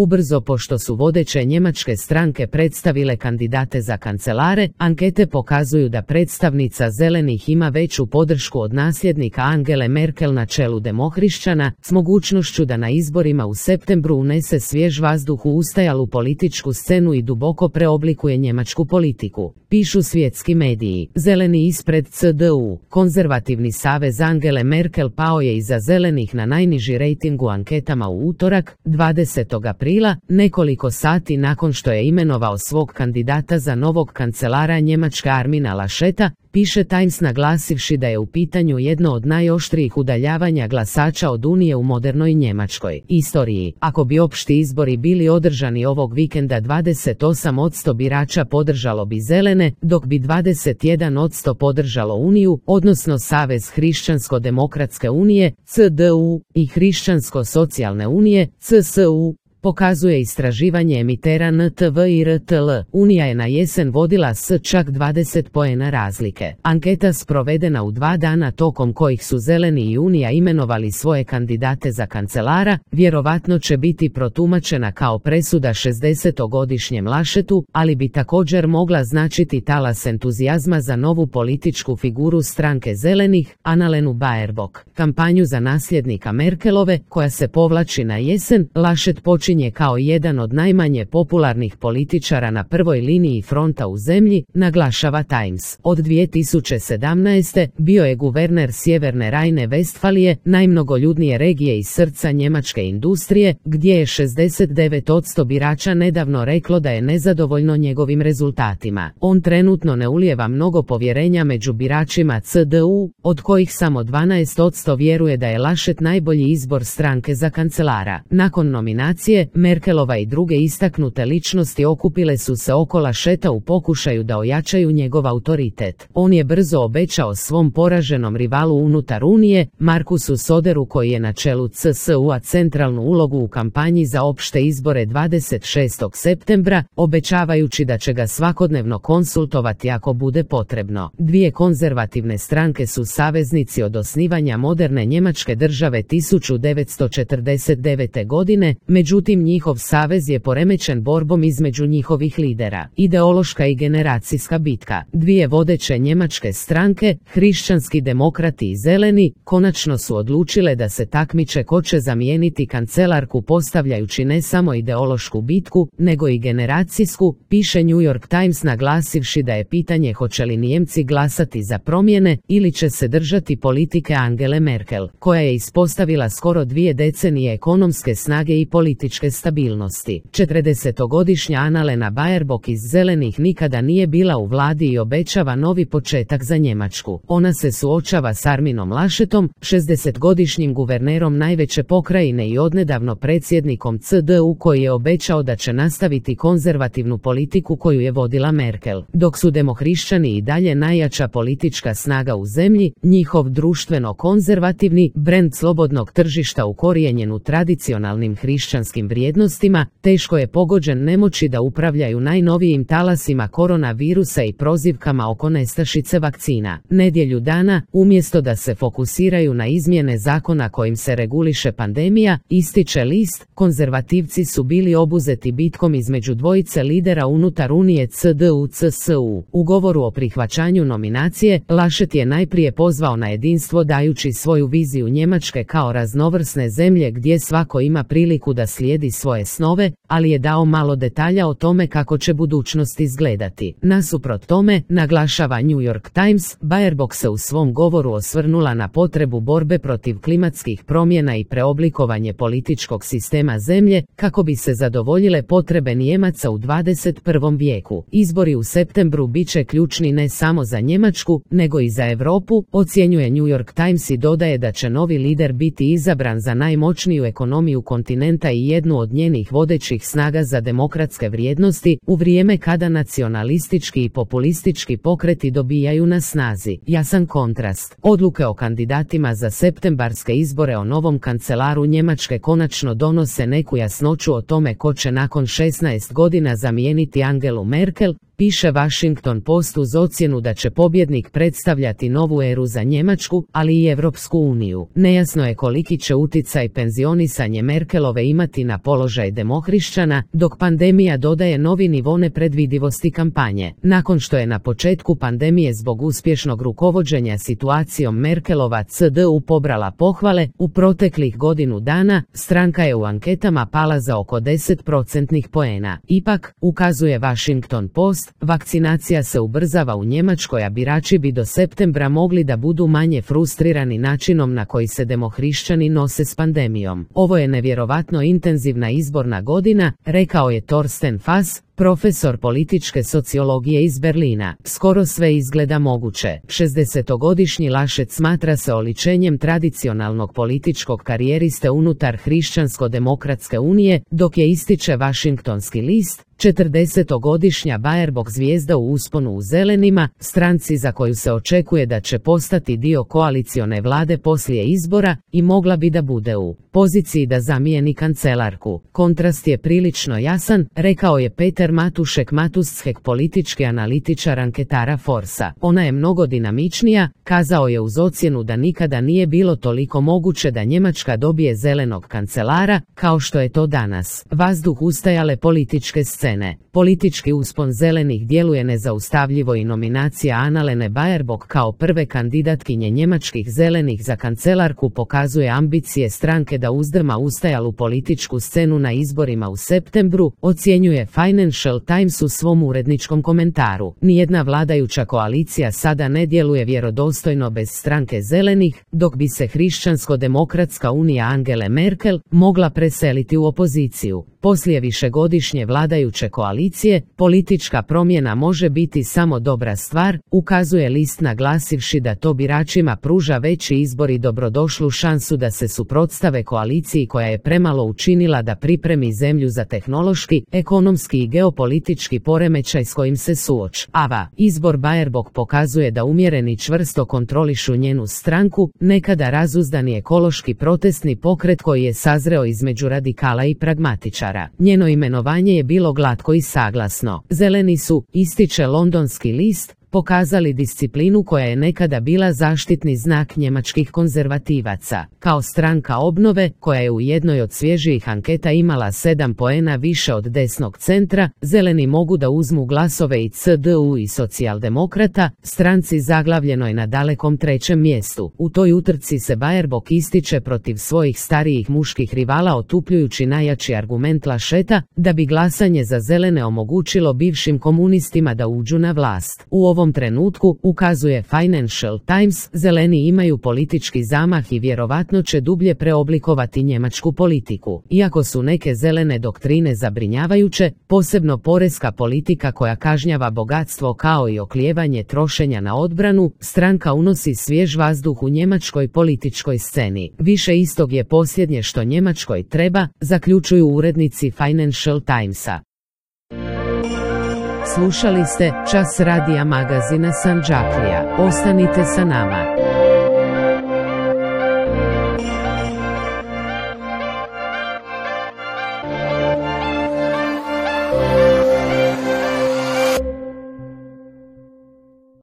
Ubrzo pošto su vodeće njemačke stranke predstavile kandidate za kancelare, ankete pokazuju da predstavnica zelenih ima veću podršku od nasljednika Angele Merkel na čelu demohrišćana, s mogućnošću da na izborima u septembru unese svjež vazduh u ustajalu političku scenu i duboko preoblikuje njemačku politiku, pišu svjetski mediji. Zeleni ispred CDU. Konzervativni savez Angele Merkel pao je iza zelenih na najniži rejting u anketama u utorak, 20. aprila, nekoliko sati nakon što je imenovao svog kandidata za novog kancelara Njemačke Armina Lascheta, piše Times, naglasivši da je u pitanju jedno od najoštrijih udaljavanja glasača od Unije u modernoj njemačkoj istoriji. Ako bi opšti izbori bili održani ovog vikenda, 28% birača podržalo bi zelene, dok bi 21% podržalo Uniju, odnosno Savez Hrišćansko-demokratske unije, CDU, i Hrišćansko-socijalne unije, CSU, pokazuje istraživanje emitera NTV i RTL. Unija je na jesen vodila s čak 20 poena razlike. Anketa sprovedena u 2 dana tokom kojih su Zeleni i Unija imenovali svoje kandidate za kancelara, vjerovatno će biti protumačena kao presuda 60-godišnjem Laschetu, ali bi također mogla značiti talas entuzijazma za novu političku figuru stranke Zelenih, Annalenu Baerbock. Kampanju za nasljednika Merkelove, koja se povlači na jesen, Laschet počinje kao jedan od najmanje popularnih političara na prvoj liniji fronta u zemlji, naglašava Times. Od 2017. bio je guverner Sjeverne Rajne-Vestfalije, najmnogoljudnije regije iz srca njemačke industrije, gdje je 69% birača nedavno reklo da je nezadovoljno njegovim rezultatima. On trenutno ne ulijeva mnogo povjerenja među biračima CDU, od kojih samo 12% vjeruje da je Laschet najbolji izbor stranke za kancelara. Nakon nominacije, Merkelova i druge istaknute ličnosti okupile su se oko Lascheta u pokušaju da ojačaju njegov autoritet. On je brzo obećao svom poraženom rivalu unutar Unije, Markusu Söderu, koji je na čelu CSU-a, centralnu ulogu u kampanji za opšte izbore 26. septembra, obećavajući da će ga svakodnevno konsultovati ako bude potrebno. Dvije konzervativne stranke su saveznici od osnivanja moderne Njemačke države 1949. godine, međutim njihov savez je poremećen borbom između njihovih lidera. Ideološka i generacijska bitka. Dvije vodeće njemačke stranke, hrišćanski demokrati i zeleni, konačno su odlučile da se takmiče ko će zamijeniti kancelarku, postavljajući ne samo ideološku bitku, nego i generacijsku, piše New York Times, naglasivši da je pitanje hoće li Nijemci glasati za promjene ili će se držati politike Angele Merkel, koja je ispostavila skoro 2 decenije ekonomske snage i političke stabilnosti. 40-godišnja Annalena Baerbock iz Zelenih nikada nije bila u vladi i obećava novi početak za Njemačku. Ona se suočava s Arminom Laschetom, 60-godišnjim guvernerom najveće pokrajine i odnedavno predsjednikom CDU, koji je obećao da će nastaviti konzervativnu politiku koju je vodila Merkel. Dok su demohrišćani i dalje najjača politička snaga u zemlji, njihov društveno-konzervativni brend slobodnog tržišta ukorijenjen u tradicionalnim hrišćanskim vrijednostima, teško je pogođen nemoći da upravljaju najnovijim talasima koronavirusa i prozivkama oko nestašice vakcina. Nedjelju dana, umjesto da se fokusiraju na izmjene zakona kojim se reguliše pandemija, ističe list, konzervativci su bili obuzeti bitkom između dvojice lidera unutar Unije CDU-CSU. U govoru o prihvaćanju nominacije, Laschet je najprije pozvao na jedinstvo dajući svoju viziju Njemačke kao raznovrsne zemlje gdje svako ima priliku da slijedi svoje snove, ali je dao malo detalja o tome kako će budućnost izgledati. Nasuprot tome, naglašava New York Times, Baerbock se u svom govoru osvrnula na potrebu borbe protiv klimatskih promjena i preoblikovanje političkog sistema zemlje, kako bi se zadovoljile potrebe Nijemaca u 21. vijeku. Izbori u septembru bit će ključni ne samo za Njemačku, nego i za Europu, ocjenjuje New York Times i dodaje da će novi lider biti izabran za najmoćniju ekonomiju kontinenta i jednu od njenih vodećih snaga za demokratske vrijednosti, u vrijeme kada nacionalistički i populistički pokreti dobijaju na snazi. Jasan kontrast. Odluke o kandidatima za septembarske izbore o novom kancelaru Njemačke konačno donose neku jasnoću o tome ko će nakon 16 godina zamijeniti Angelu Merkel, piše Washington Post uz ocjenu da će pobjednik predstavljati novu eru za Njemačku, ali i Europsku uniju. Nejasno je koliki će uticaj penzionisanje Merkelove imati na položaj demohrišćana, dok pandemija dodaje novi nivo nepredvidivosti kampanje. Nakon što je na početku pandemije zbog uspješnog rukovođenja situacijom Merkelova CDU pobrala pohvale, u proteklih godinu dana stranka je u anketama pala za oko 10% poena. Ipak, ukazuje Washington Post, vakcinacija se ubrzava u Njemačkoj, a birači bi do septembra mogli da budu manje frustrirani načinom na koji se demohrišćani nose s pandemijom. Ovo je nevjerovatno intenzivna izborna godina, rekao je Thorsten Fass, profesor političke sociologije iz Berlina. Skoro sve izgleda moguće. 60-godišnji Laschet smatra se oličenjem tradicionalnog političkog karijeriste unutar Hrišćansko-demokratske unije, dok je, ističe Washingtonski list, 40-godišnja Baerbock zvijezda u usponu u Zelenima, stranci za koju se očekuje da će postati dio koalicione vlade poslije izbora i mogla bi da bude u poziciji da zamijeni kancelarku. Kontrast je prilično jasan, rekao je Peter Matušek, politički analitičar anketara Forsa. Ona je mnogo dinamičnija, kazao je uz ocjenu da nikada nije bilo toliko moguće da Njemačka dobije zelenog kancelara, kao što je to danas. Vazduh ustajale političke scene. Politički uspon zelenih djeluje nezaustavljivo i nominacija Annalene Baerbock kao prve kandidatkinje njemačkih zelenih za kancelarku pokazuje ambicije stranke da uzdrma ustajalu političku scenu na izborima u septembru, ocjenjuje Financial Times u svom uredničkom komentaru. Nijedna vladajuća koalicija sada ne djeluje vjerodostojno bez stranke zelenih, dok bi se Hrišćansko-demokratska unija Angele Merkel mogla preseliti u opoziciju. Poslije višegodišnje vladajuće koalicije, politička promjena može biti samo dobra stvar, ukazuje list naglasivši da to biračima pruža veći izbor i dobrodošlu šansu da se suprotstave koaliciji koja je premalo učinila da pripremi zemlju za tehnološki, ekonomski i geopolitički poremećaj s kojim se suočava. Izbor Baerbock pokazuje da umjereni čvrsto kontrolišu njenu stranku, nekada razuzdani ekološki protestni pokret koji je sazreo između radikala i pragmatičara. Njeno imenovanje je bilo glatko i saglasno. Zeleni su, ističe londonski list, pokazali disciplinu koja je nekada bila zaštitni znak njemačkih konzervativaca. Kao stranka obnove, koja je u jednoj od svježijih anketa imala 7 poena više od desnog centra, zeleni mogu da uzmu glasove i CDU i socijaldemokrata, stranci zaglavljenoj na dalekom 3. mjestu. U toj utrci se Baerbock ističe protiv svojih starijih muških rivala, otupljujući najjači argument Lascheta, da bi glasanje za zelene omogućilo bivšim komunistima da uđu na vlast. U ovom trenutku, ukazuje Financial Times, zeleni imaju politički zamah i vjerovatno će dublje preoblikovati njemačku politiku. Iako su neke zelene doktrine zabrinjavajuće, posebno poreska politika koja kažnjava bogatstvo kao i oklijevanje trošenja na odbranu, stranka unosi svjež vazduh u njemačkoj političkoj sceni. Više istog je posljednje što Njemačkoj treba, zaključuju urednici Financial Timesa. Slušali ste Čas radija magazina Sandžaklija. Ostanite sa nama.